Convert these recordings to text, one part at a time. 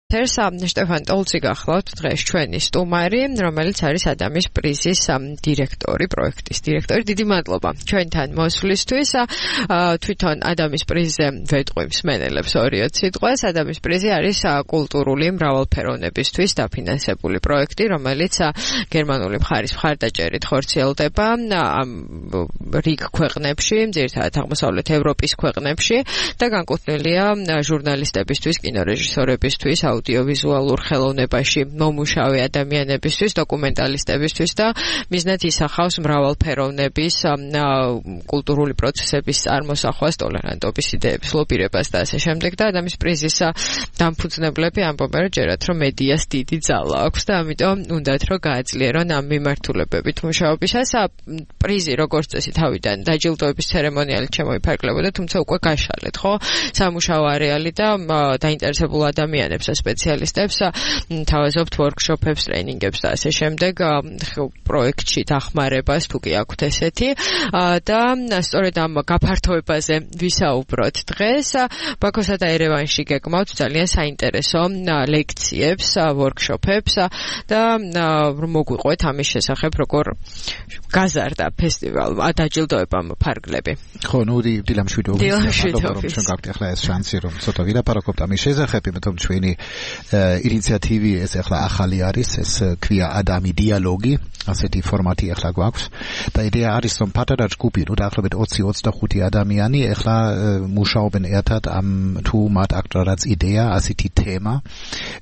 შტეფან ტოლცი გახლავთ დღეს ჩვენი სტუმარი, რომელიც არის ადამის პრიზის დირექტორი, პროექტის დირექტორი. დიდი მადლობა ჩვენთან მოსვლისთვის. თვითონ ადამის პრიზზე ვეტყვი მსმენელებს 2 სიტყვას. ადამიანის პრიზი არის კულტურული მრავალფეროვნებისთვის დაფინანსებული პროექტი, რომელიც გერმანული მხარის მხარდაჭერით ხორციელდება რიგ ქვეყნებში, ძირითადად აღმოსავლეთ ევროპის ქვეყნებში და განკუთვნილია ჟურნალისტებისთვის, კინორეჟისორებისთვის, აუდიოვიზუალურ ხელოვნებაში მომუშავე ადამიანებისთვის, დოკუმენტალისტებისთვის და მიზნად ისახავს მრავალფეროვნების კულტურული პროცესების წარმოსახვას, ტოლერანტობის იდეების ლობირებას და ასე შემდეგ და ადამიანის პრიზის დამფუძნებლები ამბობენ, რომ ჯერათ რომ მედიას დიდი ძალა აქვს და ამიტომ უნდათ რომ გააძლიერონ ამ მიმართულებებით მუშაობისას. პრიზი როგორც წესი თავიდან დაჯილდოების ცერემონიალით შემოიფარგლებოდა, თუმცა უკვე გაშალეთ, ხო? სამუშაო არეალი და დაინტერესებულ ადამიანებს სპეციალისტებს თავაზობთ ვორქშოპებს, ტრეინინგებს და ასე შემდეგ პროექტში დახმარებას თუ კი აქვთ ესეთი და სწორედ ამ გაფართოებაზე ვისაუბროთ დღეს. ბაქოსა და ერევანში გეკმავთ ძალიან საინტერესო ლექციებს, ვორქშოპებს და მოგვიყვეთ ამის შესახებ როგორ გაზარდა ფესტივალმა დაჯილდოებამ ფარგლები. ხო, ნუ დილამშვიდობის ჩვენ გაქვთ ახლა ეს შანსი რომ ცოტა ვილაპარაკობთ ამის შესახებ, იმიტომ ჩვენი ინიციატივი ეს ახლა ახალი არის, ეს ქვია ადამი დიალოგი, ასეთი ფორმატი ახლა გვაქვს და იდეა არის რომ პატარა ჯგუფი, ნუ დაახლოებით 20-25 ადამიანი ახლა მუშაობენ ერთად ამ თუ მათ აქვს რაღაც იდეა, ასეთი თემა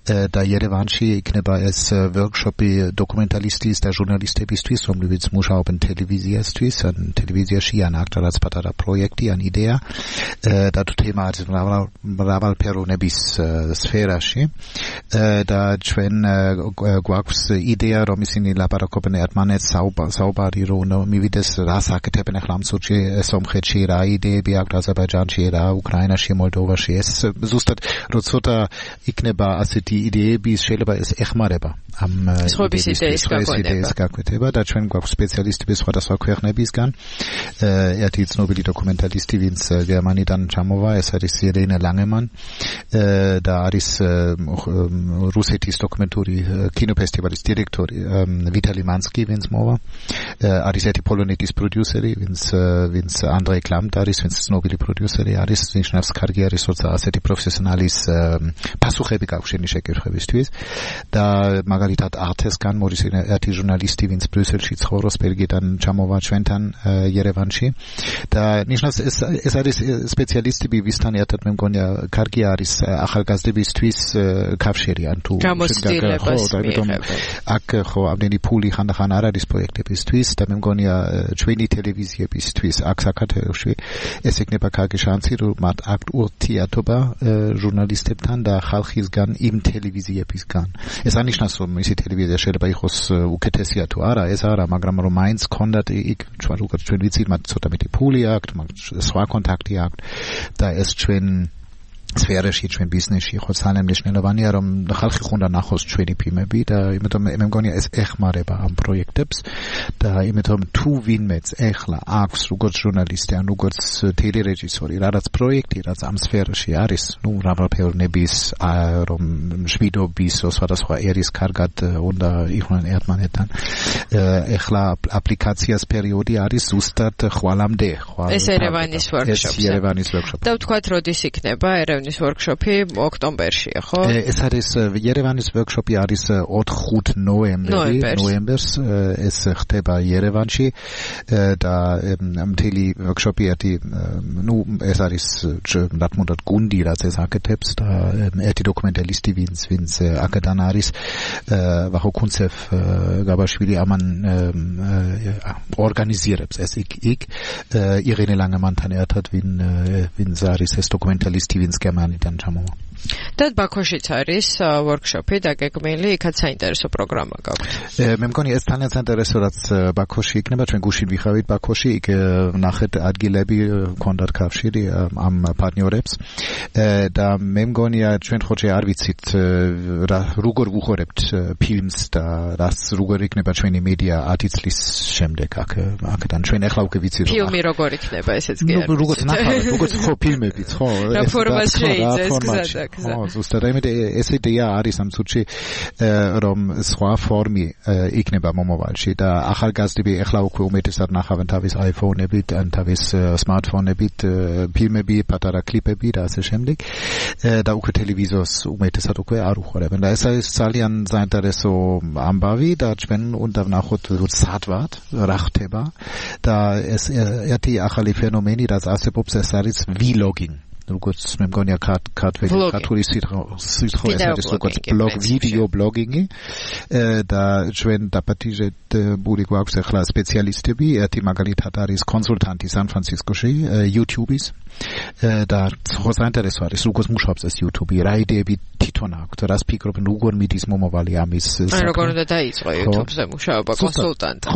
და ერევანში იქნება ეს ვორქშოპი დოკუმენტალისტის და ჟურნალისტებისთვის, რომლებიც მუშაობენ ტელევიზიასთვის, ან ტელევიზიაში ან აქვს რაღაც პატარა პროექტი, ან იდეა და თუ თემა არის მრავალფეროვნების სფეროში და ჩვენ გვაქვს იდეა რომ ისინი ლაპარაკობენ ერთმანეთს საუბარი რომ მივიდეს რას აკეთებენ ახლა ამ წუთში სომხეთში, რა იდეები აქვს აზერბაიჯანში, რა უკრაინაში, მოლდოვაში. ეს ზუსტად რომ ცოტა იქნება ასეთი იდეები, შეიძლება ეს ეხმარება ამ იდეის გაკვეთება და ჩვენ გვაქვს სპეციალისტები სხვადასხვა ქვეყნებისგან. ერთი ცნობილი დოკუმენტალისტი, ვინც გერმანიდან ჩამოვა, ეს არის ირენა ლანგემან და არის რუსეთის დოკუმენტური კინოფესტივალის დირექტორი ვიტალი მანსკი, ვინც მოვა. არის ერთი პოლონეთის პროდიუსერი, ვინც ანდრეი კლამტ არის, ვინც ცნობილი პროდიუსერი არის, ნიშნავს კარგი არის, როცა ასეთი პროფესიონალის პასუხები გაქვს შენი შეკითხვებისთვის და მაგალითად ართესგან მორის ერთი ჟურნალისტი, ვინც ბრიუსელში ცხოვრობს, ბელგიიდან ჩამოვა ჩვენთან ერევანში და ნიშნავს ეს არის სპეციალისტები, ვისთან ერთად მე მგონია კარგი არის ახალგაზრდებისთვის კავშირი ან თუ აქ ხო ამდენი ფული ხან არ არის პროექტებისთვის და მე მგონია ჩვენი ტელევიზიებისთვის აქ საქართველოში ეს იქნება კარგი შანსი რომ მათ აქვთ ურთიერთობა ჟურნალისტებთან და ხალხისგან იმ ტელევიზიებისგან. ეს ანიშნავს რომ ისი ტელევიზია შეიძლება იყოს უკეთესია თუ არა, ეს არა, მაგრამ რომ მაინც კონდათ იქ ჩვენ ვიცით მათ ცოტა მეტი ფული აქვთ, სხვა კონტაქტი აქვთ და ეს ჩვენ სფეროში, ჩვენ ბიზნესში ხო ძალიან მნიშვნელოვანია რომ ხალხი ხუნდა ნახოს ჩვენი ფილმები და იმიტომ მე მგონია ეს ეხმარება ამ პროექტებს და იმიტომ თუ ვინმეც ეხლა აქვს როგორც ჟურნალისტი ან როგორც ტელერეჟისორი რაღაც პროექტი, რაც ამ სფეროში არის, ნუ მრავალფეროვნების რომ შვიდობის სხვადასხვა ერის კარგად უნდა იყვნენ ერთმანეთთან. ეხლა აპლიკაციას პერიოდი არის ზუსტად ხვალამდე. ეს ერევანის ვორქშოპი. და ვთქვათ, როდის იქნება ერევნის ვორქშოპი ოქტომბერშია, ხო? ეს არის ერევანის ვორქშოპი არის 4-5 ნოემბერს ეს ხდება ერევანში და მთელი ვორქშოპი ერთი ნუ ეს არის რა თქმა უნდა გუნდი რაც ეს აკეთებს და ერთი დოკუმენტალისტი ვინც აქედან არის ვახო კუნცეფ გაბაშვილი ამან ორგანიზირებს ეს იქ ირენე ლანგემანთან ერთად ვინც არის ეს დოკუმენტალისტი ვინც გერმანიდან ჩამოვა. და ბაქოშიც არის ვორქშოპი დაგეგმილი, იქაც საინტერესო პროგრამა გაქვთ. მე მგონია ეს ძალიან საინტერესო რაც ბაქოში იქნება, ჩვენ გუშინ ვიხავით ბაქოში, იქ ნახეთ ადგილები, კონდათ კავშირი ამ პარტნიორებს და მე მგონია ჩვენ ხოჭე არ ვიცით როგორ ვუხორებთ ფილმს და რაც როგორ იქნება ჩვენი მედია 10 წლის შემდეგ აქედან ჩვენ ახლა უკვე ვიცით ფილმი როგორ იქნება ესეც კი არის. როგორც ნახავთ, როგორც ხო ფილმებიც ხო? რა ფორმაში შეიძლება ეს გზადაგ. გზა. ზუსტად ეს იდეა არის ამ წუთში რომ სხვა ფორმი იქნება მომავალში და ახალგაზრდები ეხლა უკვე უმეტესად ნახავენ თავის iPhone-ებით ან თავის smartphone-ებით ფილმები, პატარა კლიპები და ასე შემდეგ და უკვე ტელევიზორს უმეტესად უკვე არ უყურებენ და ეს არის ძალიან საინტერესო ამბავი და ჩვენ უნდა ვნახოთ სად ვართ, რა ხდება და ეს ერთი ახალი ფენომენი რაც არსებობს ეს არის vlogging როგორც მე მგონია ქართული სიტყვა ეს არის როგორც ვიდეო ბლოგინგი და ჩვენ დაპატიჟეთ ბური გვაქვს ახლა სპეციალისტები ერთი მაგალითად არის კონსულტანტი სან-ფრანცისკოში YouTube-ის და ხოსანტერესო არის როგორც მუშაობს ეს YouTube-ი რა იდეები თვითონ აქვს რას ფიქრობენ როგორ მიდის მომავალი ამის როგორ უნდა დაიწყო YouTube-ზე მუშაობა კონსულტანტად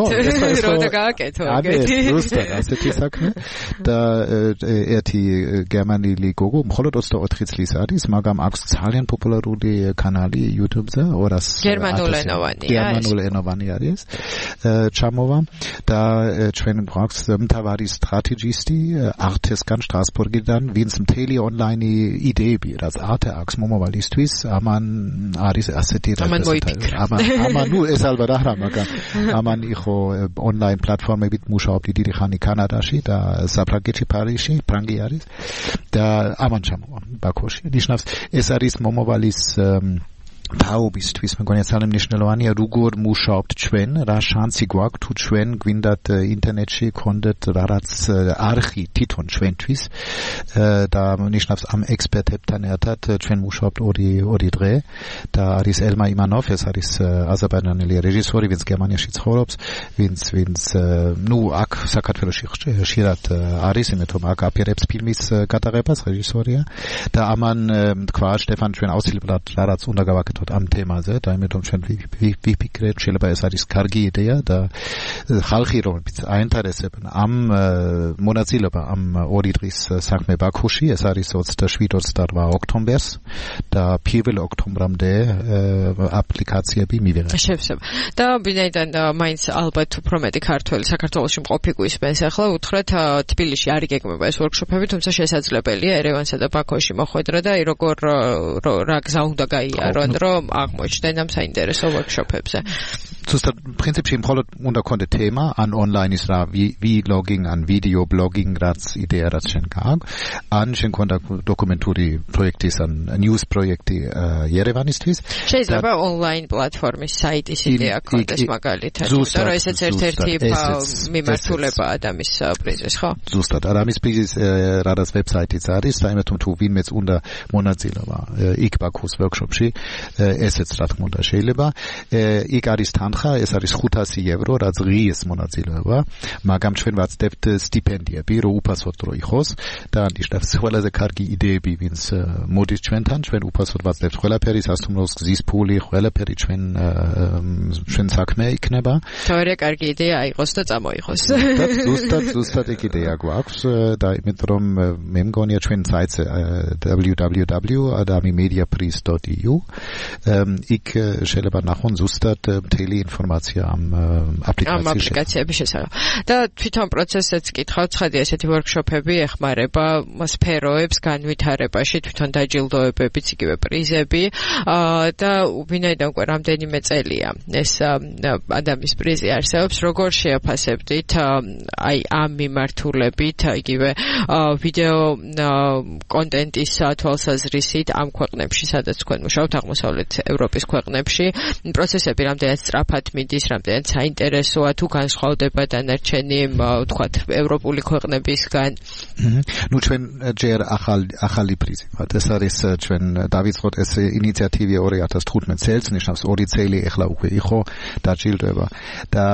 რა უნდა გააკეთო ეგეთი ზუსტად ასეთი საქმე და ერთი გერმანელი გოგო მხოლოდ 24 წლის არის მაგრამ აქვს ძალიან პოპულარული კანალი YouTube-ზე 200 გერმანულენოვანი არის ჩამოვა და ჩვენ გვაქვს მთავარი სტრატეგისტი არტესგან სტრასბურგიდან ვინც მთელი ონლაინ იდეები რაც არტე აქვს მომავალისთვის ამან არის ასეთი ამან ნუ ეს ალბათ არა მაგრამ ამან იყო ონლაინ პლატფორმებით მუშაობდი დიდი ხანი კანადაში და საფრანგეთში პარიზში ფრანგი არის და ამან ჩამოვა ბაქოში ნიშნავს ეს არის მომავალის თაობისთვის მეგონია ძალიან მნიშვნელოვანია როგორ მუშაობთ ჩვენ რა შანსი გვაქვს თუ ჩვენ გვინდათ ინტერნეტში გქონდეთ რაღაც არხი თვითონ ჩვენთვის და ნიშნავს ამ ექსპერტებთან ერთად ჩვენ მუშაობთ ორი დღე და არის ელმა იმანოვ ეს არის აზერბაიჯანელი რეჟისორი ვინც გერმანიაში ცხოვრობს ვინც ნუ აქ საქართველოში ხშირად არის იმიტომ რომ აქ აპირებს ფილმის გადაღებას რეჟისორია და ამან თქვა შტეფან ჩვენ აუცილებლად რაღაც უნდა გავაკეთოთ ამ თემაზე და იმედომ ჩვენ ვიფიქრეთ შეიძლება ეს არის კარგი იდეა და ხალხი რომლებიც აინტერესებენ ამ მონაწილეობა ამ ორი დღის საქმე ბაქოში ეს არის 27-28 ოქტომბერს და 1 ოქტომბრამდე აპლიკაციები მივიღეთ. შევსება. და ვინაიდან მაინც ალბათ უფრო მეტი ქართველი საქართველოში მყოფი გვისმენს ახლა უთხრეთ თბილისში არ იგეგმება ეს ვორქშოპები თუმცა შესაძლებელია ერევანსა და ბაქოში მოხვედრა და როგორ რა გზა უნდა გაიარონ რომ აღმოჩნდნენ ამ საინტერესო ვორქშოპებზე. ზუსტად პრინციპში მხოლოდ უნდა გქონდეთ თემა ან ონლაინის რა vlogging ან video blogging რაც იდეა რაც შენ გააქვს ან შენ გქონდა დოკუმენტური პროექტის ან news პროექტი ერევანისთვის შეიძლება ონლაინ პლატფორმის საიტის იდეა გქონდეს მაგალითად იმიტომ რომ ესეც ერთ-ერთი მიმართულებაა ადამიანის პრიზის ხო ზუსტად ადამიანის პრიზის რაღაც ვებსაიტიც არის საერთოდ თუ ვინმეც უნდა მონაწილეობა იქ ბაქოს ვორქშოპში ესეც რა თქმა უნდა შეიძლება იქ არის თანხა ეს არის 500 евро რაც ღიეს მონაწილეობა მაგრამ ჩვენ ვაცდებთ სტიპენდიები რომ უფასოდ რო იყოს და ნიშნავს ყველაზე კარგი იდეები ვინც მოდის ჩვენთან ჩვენ უფასოდ ვაცდებთ ყველაფერი სასტუმროს გზის ფული ყველაფერი ჩვენ საქმე იქნება თორე კარგი იდეა აიღოს და წამოიღოს ზუსტად ეგ იდეა გვაქვს და იმიტომ რომ მე მგონია ჩვენ საიტზე www.adamimediaprize.eu იქ შეიძლება ნახონ ზუსტად მთელი ინფორმაცია ამ აპლიკაციების შესახებ. და თვითონ პროცესიც კითხავთ, ხედი ესეთი ვორქშოპები ეხმარება სფეროებს განვითარებაში, თვითონ დაჯილდოებებიც, იგივე პრიზები და ვინაიდან უკვე რამდენიმე წელია ეს ადამიანის პრიზი არსებობს, როგორ შეაფასებდით აი ამ მიმართულებით, იგივე ვიდეო კონტენტის თვალსაზრისით ამ ქვეყნებში, სადაც თქვენ მუშაობთ აღმოსავლეთ ევროპის ქვეყნებში, პროცესები რამდენად სწრაფად მიდის, რამდენად საინტერესოა თუ განსხვავდება დანარჩენი, ვთქვათ, ევროპული ქვეყნებისგან. ნუ ჩვენ ჯერ ახალი პრიზი ვართ. ეს არის ჩვენ დავიწყოთ ეს ინიციატივი 2015 წელს, ნიშნავს 2 წელი ეხლა უკვე იყო დაჯილდოება და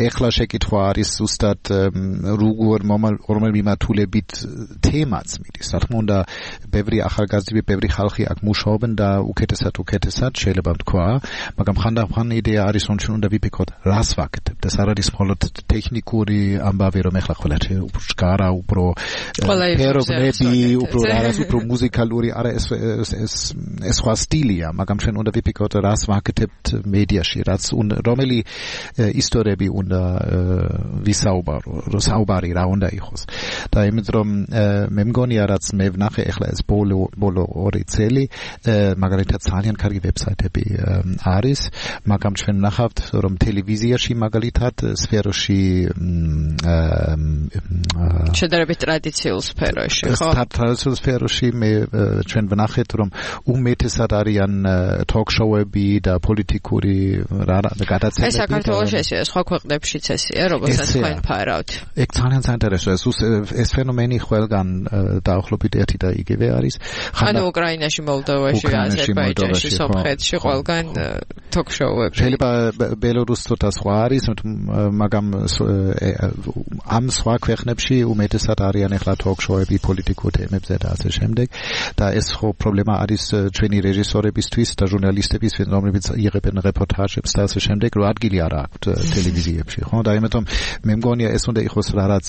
ეხლა შეკითხვა არის ზუსტად როგორ რომელ მიმართულებით თემაც მიდის. რა თქმა უნდა, ბევრი ახალგაზრდები, ბევრი ხალხი აქ მუშაობენ და უკეთესად შეიძლება ვთქვა, მაგრამ ხანდახან იდეა არის რომ ჩვენ უნდა ვიფიქროთ რას ვაკეთებთ ეს არ არის მხოლოდ ტექნიკური ამბავი რომ ეხლა ყველა ჩგარა უფრო ფერობები უფრო რაღაც უფრო მუსიკალური არა ეს სხვა სტილია მაგრამ ჩვენ უნდა ვიფიქროთ რას ვაკეთებთ მედიაში რაც რომელი ისტორიები უნდა ვისაუბარო საუბარი რა უნდა იყოს და იმით რომ მე მგონია რაც მე ვნახე ეხლა ეს ბოლო ორი წელი მაგალითად ძალიან კარგი ვებსაიტები არის მაგრამ ჩვენ ვნახავთ რომ ტელევიზიაში მაგალითად სფეროში შედარებით ტრადიციულ სფეროში ხო ტრადიციულ სფეროში მე ჩვენ ვნახეთ რომ უმეტესად არიან თოქ-შოუები და პოლიტიკური გადაცემები ეს საქართველოში ესეა სხვა ქვეყნებშიც ესეა რომელსაც თქვენ ფარავთ ეგ ძალიან საინტერესოა ეს ფენომენი ყველგან დაახლოებით ერთი და იგივე არის ანუ უკრაინაში მოლდოვაში აზერბაიჯანში სომხეთში ყველგან თოქ-შოუები შეიძლება ბელორუსი ცოტა სხვა არის მაგრამ ამ სხვა ქვეყნებში უმეტესად არიან ახლა თოქ-შოუები პოლიტიკურ თემებზე და ასე შემდეგ და ეს ხო პრობლემა არის ჩვენი რეჟისორებისთვის და ჟურნალისტებისთვის რომლებიც იღებენ რეპორტაჟებს და ასე შემდეგ რომ ადგილი არ აქვთ ტელევიზიებში ხო და ამიტომ მე მგონია ეს უნდა იყოს რაღაც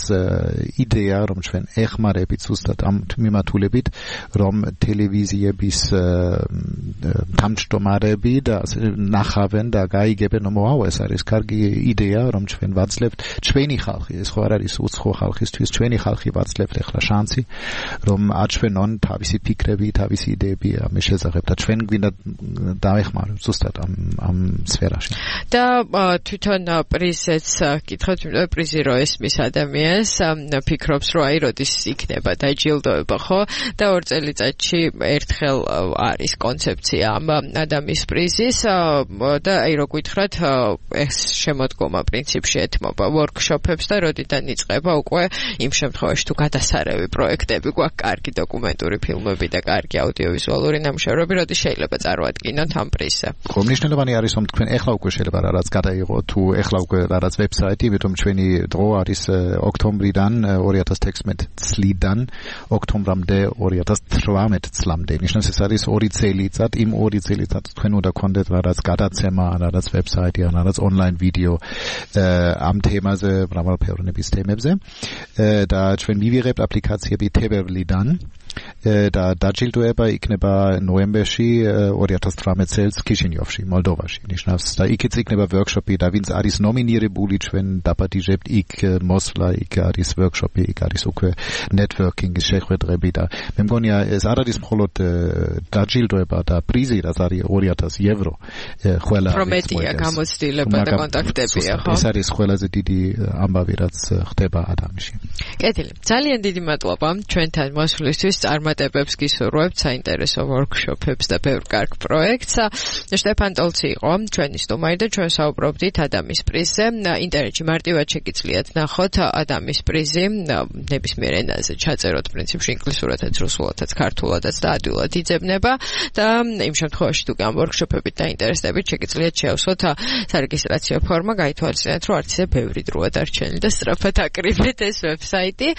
იდეა რომ ჩვენ ეხმარებით ზუსტად ამ მიმართულებით რომ ტელევიზიების თავმჯდომარეები და ნახავენ და გაიგებენ რომ ვაუ ეს არის კარგი იდეა რომ ჩვენ ვაძლევთ ჩვენი ხალხი ეს ხო არ არის უცხო ხალხისთვის ჩვენი ხალხი ვაძლევთ ახლა შანსი რომ აჩვენონ თავისი ფიქრები თავისი იდეები ამ შესახებ და ჩვენ გვინდა დავეხმაროთ ზუსტად ამ სფეროში და თვითონ პრიზეც კითხავთ იმიტომ პრიზი რო ესმის ადამიანს ფიქრობს რომ აი როდის იქნება დაჯილდოება ხო და 2 წელიწადში ერთხელ არის კონცეფცია ამ ადამიანის პრიზის და აი რო გითხრათ ეს შემოდგომა პრინციპში ეთმობა ვორქშოპებს და როდიდან იწყება უკვე იმ შემთხვევაში თუ გადასარევი პროექტები გვაქვს კარგი დოკუმენტური ფილმები და კარგი აუდიოვიზუალური ნამუშევრები როდის შეიძლება წარმოადგინოთ ამ პრიზზე ხო მნიშვნელოვანი არის რომ თქვენ ეხლა უკვე შეიძლება რაღაც გადაიღოთ თუ ეხლა უკვე რაღაც ვებსაიტი იმიტომ ჩვენი დრო არის ოქტომბრიდან 2016 წლიდან ოქტომბრამდე 2018 წლამდე ნიშნავს ეს არის 2 წელიწად იმ 2 წელიწად თქვენ უნდა გქონდეთ რაღაც გადაცემა რაღაც ვებსაიტი რაღაც ონლაინ ვიდეო ამ თემაზე მრავალფეროვნების თემებზე და ჩვენ მივიღებთ აპლიკაციები თებერვლიდან და დაჯილდოება იქნება ნოემბერში 2018 წელს ქიშინიოვში, მოლდოვაში. ნიშნავს და იქაც იქნება ვორქშოპი და ვინც არის ნომინირებული ჩვენ დაპატიჟებთ იქ მოსვლა, იქ არის ვორქშოპი, იქ არის უკვე ნეტვორკინგის შეხვედრები და მე მგონია ეს არ არის მხოლოდ დაჯილდოება და პრიზი, რაც არის 2000 ევრო ყველა პრომეტია გამოცდილება და კონტაქტებია, ხო? ეს არის ყველაზე დიდი ამბავი, რაც ხდება ადამიანში. კეთილი. ძალიან დიდი მადლობა ჩვენთან მოსვლისთვის. წარმატებებს გისურვებთ საინტერესო ვორქშოპებს და ბევრ კარგ პროექტს. შტეფან ტოლცი იყო ჩვენი სტუმარი და ჩვენ საუბრობდით ადამის პრიზზე. ინტერნეტში მარტივად შეგიძლიათ ნახოთ ადამის პრიზი ნებისმიერ ენაზე ჩაწეროთ პრინციპში ინგლისურადაც, რუსულადაც, ქართულადაც და ადვილად იძებნება და იმ შემთხვევაში თუ ამ ვორქშოპებით დაინტერესდებით შეგიძლიათ შეავსოთ სარეგისტრაციო ფორმა, გაითვალისწინეთ რომ არც ისე ბევრი დროა დარჩენილი და სწრაფად აკრიბეთ ეს ვებსაიტი.